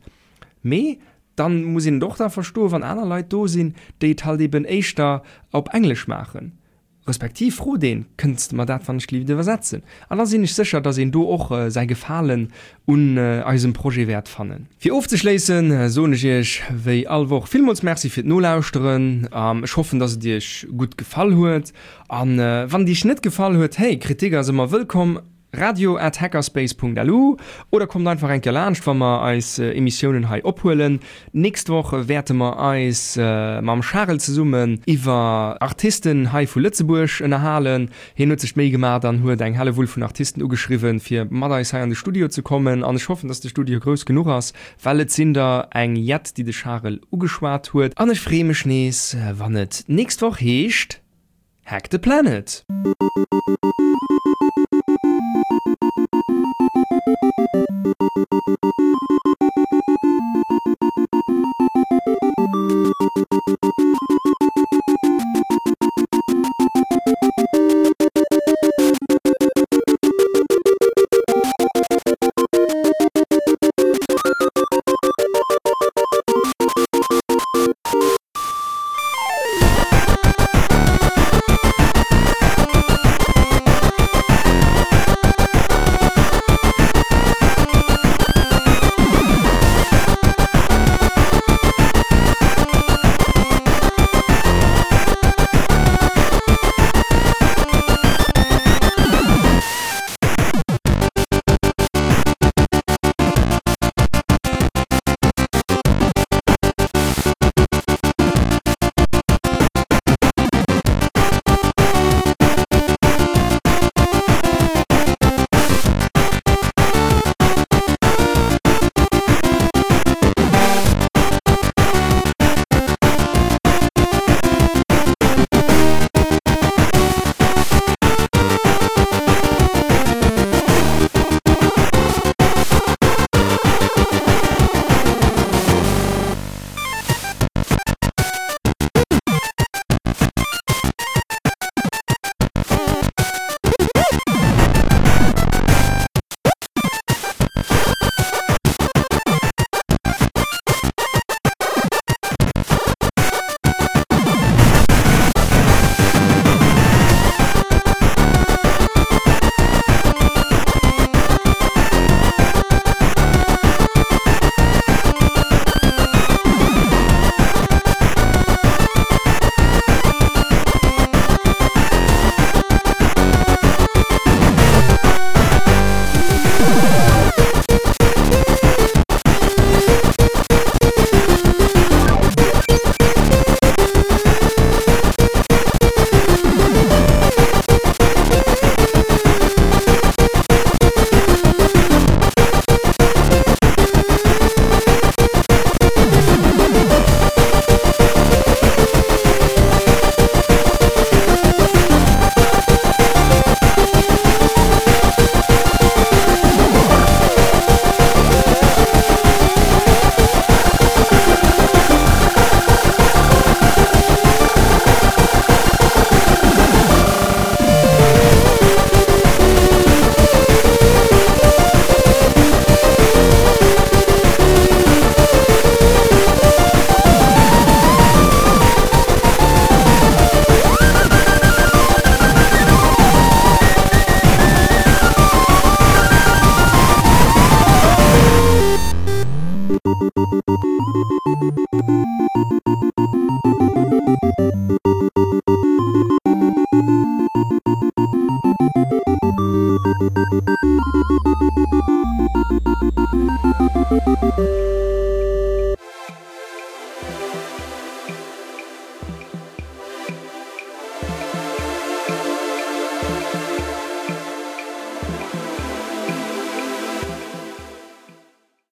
Mee dann muss een et och da verstoen, wann aner Leit do sinn, déi et halt eben éischter op Englesch maachen. Respektiv frot een, Kënns de mer dat wann ech gelift iwwersetzen? An da sinn ech sécher, dass een do och säi Gefalen un eisem Projet wäert fannen. Fir ofzeschléissen, soen ech iech wéi all Woch villmools Merci fir d'Nolauschteren. Ech hoffen, dass et iech gutt gefall huet. An wann et iech net gefall huet, hey, Kritik ass ëmmer wëllkomm. Radio at hackerspace Punkt lu oder kommt einfach eng Kéier laanscht wa mer eis Emissiounen hei ophuelen. D'nächst Woch wäerte mer eis mam Charel zesummen iwwer Artisten hei vu Lëtzebuerg ënnerhalen. Hien huet sech d'Méi gemaacht an huet eng Hellewull vun Artisten ugeschriwwen fir mat eis hei an de Studio ze kommen an ech hoffen dass de Studio grouss genuch ass, well et sinn der eng jett déi de Charel ugeschwat huet. An ech freeë mech nees wann et d'nächst Woch heescht Hack the Planet!